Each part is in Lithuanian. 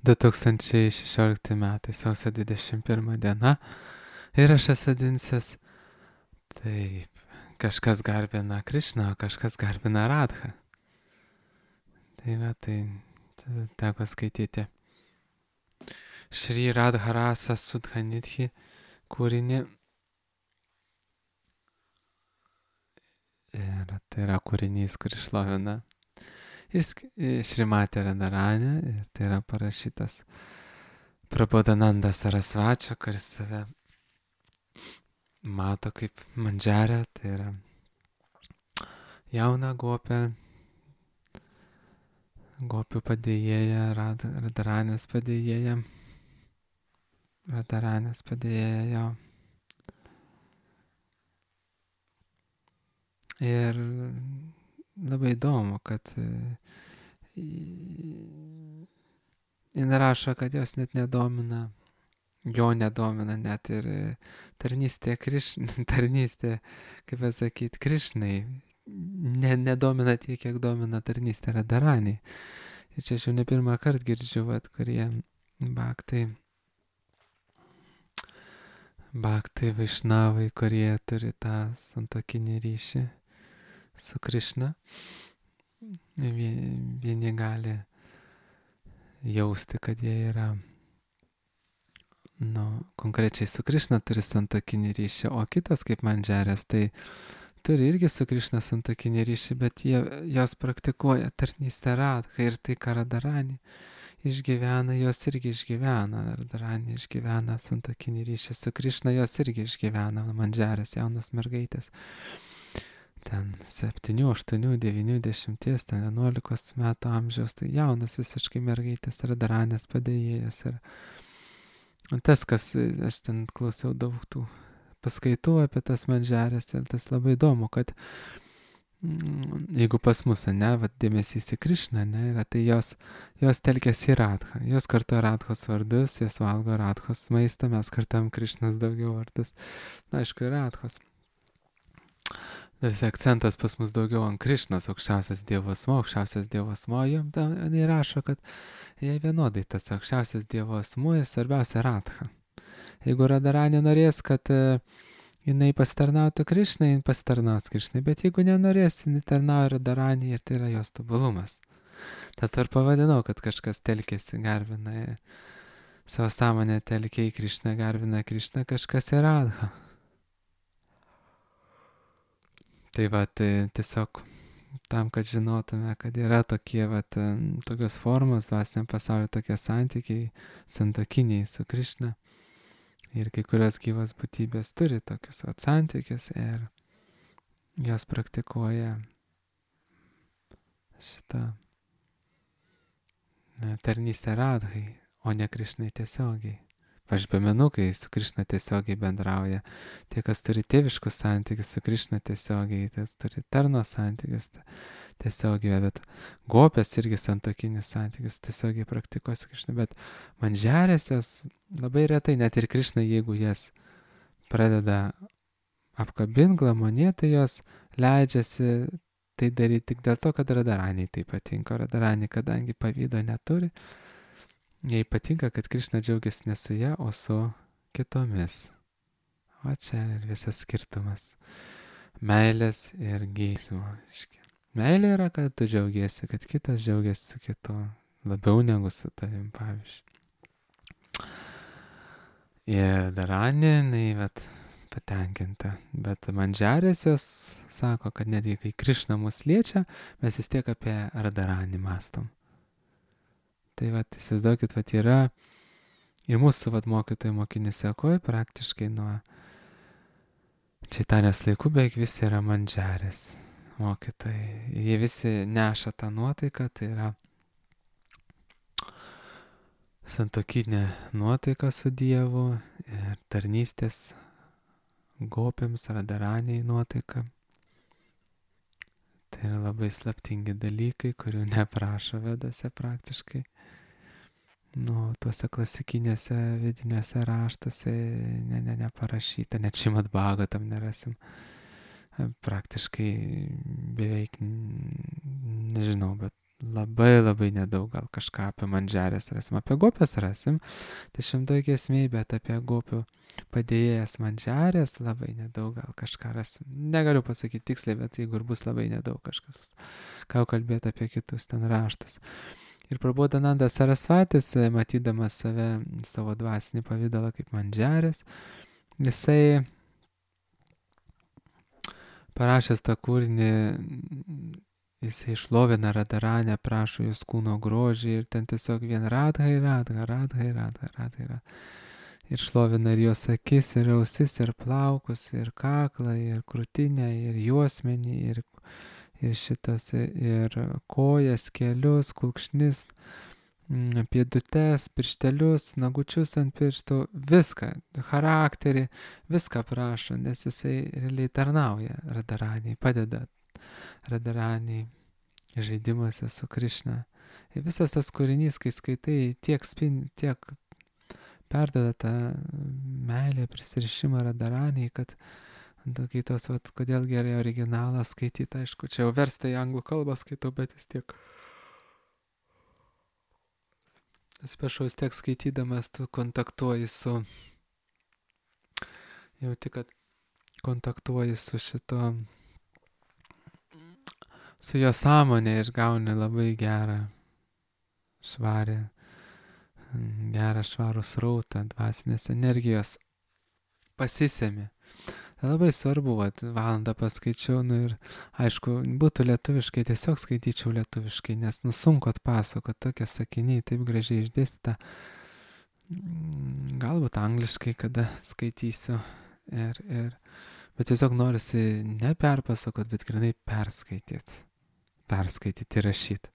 2016 metai, sausio 21 diena ir aš esu Dinsas. Taip, kažkas garbina Krišną, o kažkas garbina Radhą. Tai va, tai teko skaityti Šri Radha Rasa Sudhanidhi kūrinį. Ir tai yra kūrinys, kuris šlovina Šrimatė Radharanę. Ir tai yra parašytas Prabodhananda Sarasvačio, kuris save mato kaip mandžerę. Tai yra jauna gopė, gopių padėjėja, Radharanės padėjėja. Radharanės padėjėja jo. Ir labai įdomu, kad jin rašo, kad jos net nedomina, jo nedomina net ir tarnystė, tarnystė, kaip pasakyti, Krišnai. Nedomina tiek, kiek domina tarnystė Radharaniai. Ir čia aš jau ne pirmą kartą girdžiu, kurie bhaktai vaišnavai, kurie turi tą santuokinį ryšį su Krišna. Vieni gali jausti, kad jie yra, konkrečiai su Krišna turi santuokinį ryšį, o kitas kaip mandžerės, tai turi irgi su Krišna santuokinį ryšį, bet jos praktikuoja tarnystę Radhai ir tai, ką Radharani išgyvena, jos irgi išgyvena. Radharani išgyvena santuokinį ryšį su Krišna, jos irgi išgyvena, mandžerės, jaunas mergaitės. Ten 7, 8, 9, 10, ten 11 metų amžiaus, tai jaunas visiškai mergaitės, Radharanės padėjėjas. Ir tas, kas, aš ten klausiau daug tų paskaitų apie tas mandžerės, ir tas labai įdomu, kad jeigu pas mus, dėmesys į Krišną, yra, tai jos telkiasi į Radhą, jos kartuoja Radhos vardus, jos valgo Radhos maistą, mes kartuojam Krišnos daugiau vardus, aišku, ir Radhos. Tarsi akcentas pas mus daugiau ant Krišnos, aukščiausias Dievo asmuo, jie rašo, kad jie vienodai tas aukščiausias Dievo asmuo, svarbiausia Radha. Jeigu Radharani norės, kad jinai pasitarnautų Krišnai, jin pasitarnaus Krišnai, bet jeigu nenorės, jinai tarnauja Radharani ir tai yra jos tobulumas. Tad ir pavadinau, kad kažkas telkėsi, garbina savo sąmonę, telkia į Krišną, garbina Krišną, kažkas į Radhą. Tai tiesiog tam, kad žinotume, kad yra tokie, tokios formos, dvasiniam pasauliu tokie santykiai, santuokiniai su Krišna. Ir kai kurios gyvos būtybės turi tokius santykius ir jos praktikuoja šitą tarnystę Radhai, o ne Krišnai tiesiogiai. Aš pamenu, kai su Krišna tiesiogiai bendrauja. Tie, kas turi tėviškus santykius su Krišna tiesiogiai, tas turi tarno santykius tiesiogiai, bet gopės irgi santuokinis santykius tiesiogiai praktikuoja su Krišna. Bet mandžerės jos labai retai, net ir Krišna, jeigu jas pradeda apkabinti, glamonėti, tai jos leidžiasi tai daryti tik dėl to, kad Radharaniai tai patinka. Radharani, kadangi pavydo neturi, jai patinka, kad Krišna džiaugiasi ne su ja, o su kitomis. O čia ir visas skirtumas. Meilės ir geismo. Meilė yra, kad tu džiaugiesi, kad kitas džiaugiasi su kitu. Labiau negu su tavim, pavyzdžiui. Ir Radharani, patenkinta. Bet mandžerės jos sako, kad netgi kai Krišna mus liečia, mes vis tiek apie Radharani mąstom. Tai įsivaizduokit, yra ir mūsų mokytojų mokinių sekoje praktiškai nuo Čaitanijos laikų beveik visi yra mandžerės mokytojai. Jie visi neša tą nuotaiką, tai yra santuokinė nuotaika su Dievu ir tarnystės gopėms, Radharaniai nuotaika. Tai yra labai slaptingi dalykai, kurių neprašo vedose praktiškai. Tuose klasikinėse vidiniuose raštuose neparašyta, net Šrimad Bhagavatam nerasim. Praktiškai beveik, nežinau, bet labai nedaug, gal kažką apie mandžiarės rasim, apie gopės rasim, 10 giesmėj, bet apie gopių padėjėjas mandžiarės labai nedaug, gal kažką rasim. Negaliu pasakyti tiksliai, bet jeigu ir bus labai nedaug kažkas bus. Ką kalbėti apie kitus ten raštus. Ir Prabodhananda Sarasvatis, matydamas savo dvasinį pavydalą kaip mandžiarės, jisai parašęs tą kūrinį, jisai išlovina Radharanę, prašo jos kūno grožį ir ten tiesiog vien Radhai. Ir šlovina ir jos akis, ir ausis, ir plaukus, ir kaklą, ir krūtinę, ir juosmenį, ir šitas, ir kojas, kelius, kulkšnis, pėdutes, pirštelius, nagučius ant pirštų, viską, charakterį, viską prašo, nes jisai realiai tarnauja Radharaniai, padeda Radharaniai žaidimuose su Krišna. Ir visas tas kūrinys, kai skaitai, tiek perdeda tą meilę, prisirišimą Radharaniai, kad kai tos, kodėl gerai originalą skaityti, aišku, čia jau versta į anglų kalbą skaitau, bet vis tiek. Atsiprašau, vis tiek skaitydamas tu kontaktuoji jauti, kad kontaktuoji su su jo sąmonė ir gauni labai gerą švarų srautą, dvasinės energijos pasisemi. Tai labai svarbu, valandą paskaičiau, ir aišku, būtų lietuviškai, tiesiog skaityčiau lietuviškai, nes sunku atpasakoti, tokie sakiniai taip gražiai išdėstyta. Galbūt angliškai kada skaitysiu, bet tiesiog norisi ne perpasakoti, bet grinai perskaityti ir rašyti.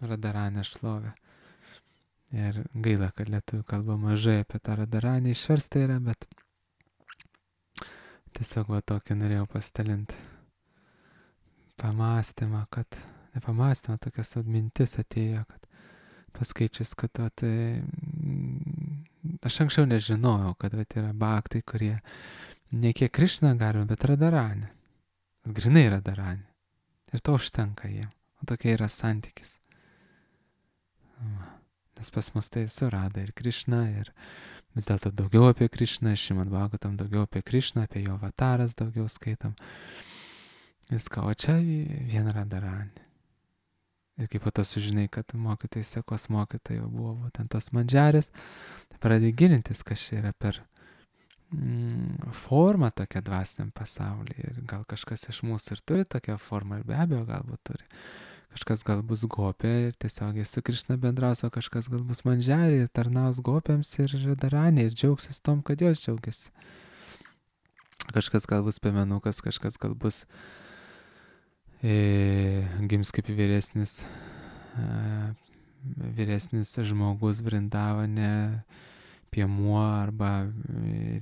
Radharanę šlovę. Ir gaila, kad lietuvių kalba mažai apie tą Radharanę išversta yra, bet tiesiog tokį norėjau pasidalinti pamąstymą, tokias mintis atėjo, kad paskaičius, kad aš anksčiau nežinojau, kad yra bhaktai, kurie ne kiek Krišną garbina, bet Radharanę. Grinai Radharanę. Ir to užtenka jiem. O tokia yra santykis. Nes pas mus tai surada ir Krišna, ir vis dėlto daugiau apie Krišną, Šrimad Bhagavatam daugiau apie Krišną, apie jo avataras daugiau skaitam. Viską, o čia vien Radharanė. Ir kaip po to sužinai, kad mokytojai, sekos mokytojai buvo būtent tos mandžiarės, tai pradėjai gilintis, kas čia yra per formą tokią dvasiniam pasaulyje. Ir gal kažkas iš mūsų ir turi tokią formą, ir be abejo galbūt turi. Kažkas gal bus gopė ir tiesiogiai su Krišna bendraus, o kažkas gal bus mandžiarė ir tarnaus gopėms ir Radharanė ir džiaugsis tom, kad jos džiaugiasi. Kažkas gal bus piemenukas, kažkas gal bus gims kaip vyresnis žmogus Vrindavane, piemuo arba,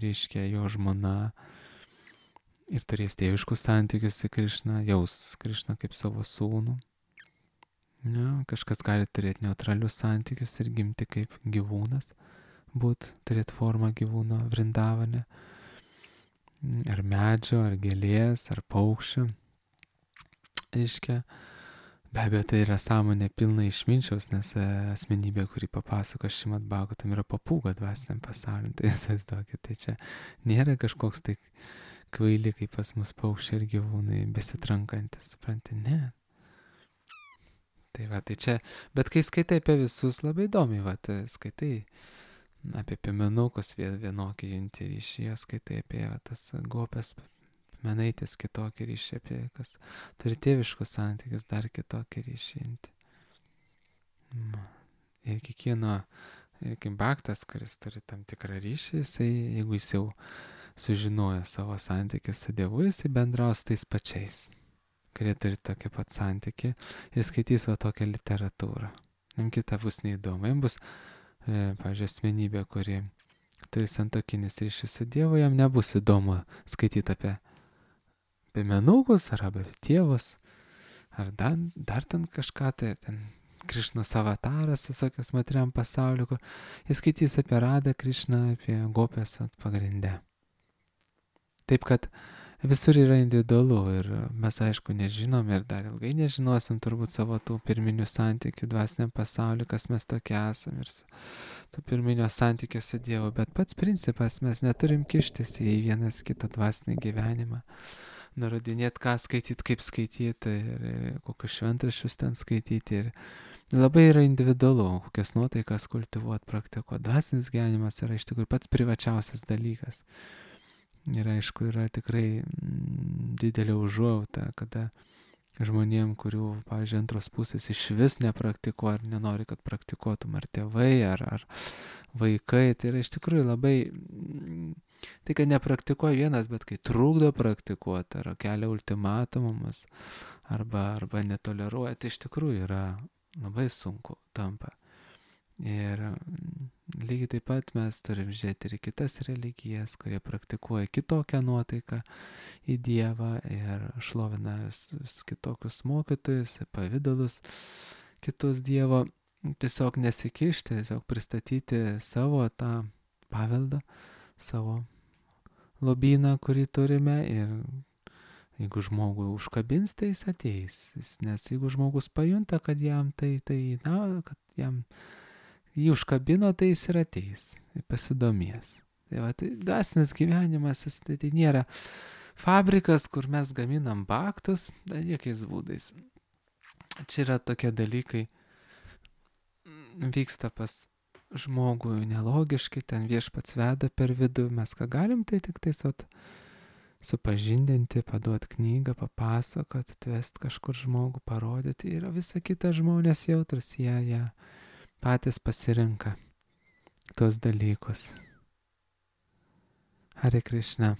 reiškia, jo žmona ir turės tėviškus santykius su Krišna, jaus Krišną kaip savo sūnų. Ja, kažkas gali turėti neutralius santykius ir gimti kaip gyvūnas, turėti formą gyvūno Vrindavane, ar medžio, ar gėlės, ar paukščio. Aiškia, be abejo, tai yra sąmonė pilna išminčiaus, nes asmenybė, kuri papasako Šrimad Bhagavatam, yra papūga dvasiniam pasauliu. Tai įsivaizduokit, tai čia nėra kažkoks tai kvaili, kaip pas mus paukščiai ir gyvūnai besitrankantis, supranti, ne. Tai čia, bet kai skaitai apie visus, labai įdomiai, skaitai apie piemenukus vienokį junti ryšį, skaitai apie tas gopės menaitės kitokį ryšį, apie kas turi tėviškus santykius, dar kitokį ryšį junti. Ir kiekvieno, kaip bhaktas, kuris turi tam tikrą ryšį, jeigu jis jau sužinojo savo santykį su Dievu, jis bendraus tais pačiais, kurie turi tokį pat santykį ir skaitys tokią literatūrą. Jam kita bus neįdomu. Jam bus, pavyzdžiui, asmenybė, kuri turi santuokinius ryšius su Dievu, jam nebus įdomu skaityti apie piemenukus ar apie tėvus, ar dar ten kažką, tai ten Krišnos avataras, visokios materiam pasauliu, kur jis skaitys apie Radą Krišną, apie gopės pagrinde. Taip kad visur yra individualu ir mes aišku nežinom ir dar ilgai nežinosim turbūt savo tų pirminių santykių dvasiniam pasauliu, kas mes tokie esam ir su to pirminio santykio su Dievu, bet pats principas mes neturim kištis į vienas kito dvasinį gyvenimą, nurodinėti, ką skaityti, kaip skaityti ir kokius šventraščius ten skaityti ir labai yra individualu, kokias nuotaikas kultivuoti, praktikuoti. Dvasinis gyvenimas yra iš tikrųjų pats privačiausias dalykas. Ir aišku, yra tikrai didelė užuojauta, kada žmonėm, kurių, pavyzdžiui, antros pusės iš vis nepraktikuoja ar nenori, kad praktikuotum ar tėvai, ar vaikai, tai yra iš tikrųjų labai, tai kad nepraktikuoja vienas, bet kai trukdo praktikuoti, ar kelia ultimatumus, arba netoleruoja, tai iš tikrųjų yra labai sunku tampa. Ir lygiai taip pat mes turim žiūrėti ir į kitas religijas, kurie praktikuoja kitokią nuotaiką į Dievą ir šlovina vis kitokius mokytojus, pavydalus kitus Dievo, tiesiog nesikišti, tiesiog pristatyti savo tą paveldą, savo lobyną, kurį turime ir jeigu žmogų užkabins, tai jis ateis, nes jeigu žmogus pajunta, kad jam kad jam jį užkabino, tai jis ir ateis, pasidomės. Tai va, tai dvasinis gyvenimas, tai nėra fabrikas, kur mes gaminam baktus, jokiais būdais. Čia yra tokie dalykai, vyksta pas žmogų nelogiškai, ten viešpats veda per vidų, mes ką galim, tai tik tais supažindinti, paduoti knygą, papasakoti, atvesti kažkur žmogų, parodyti, yra visa kita žmonės jautrus, jie patys pasirenka tuos dalykus. Hare Krishna.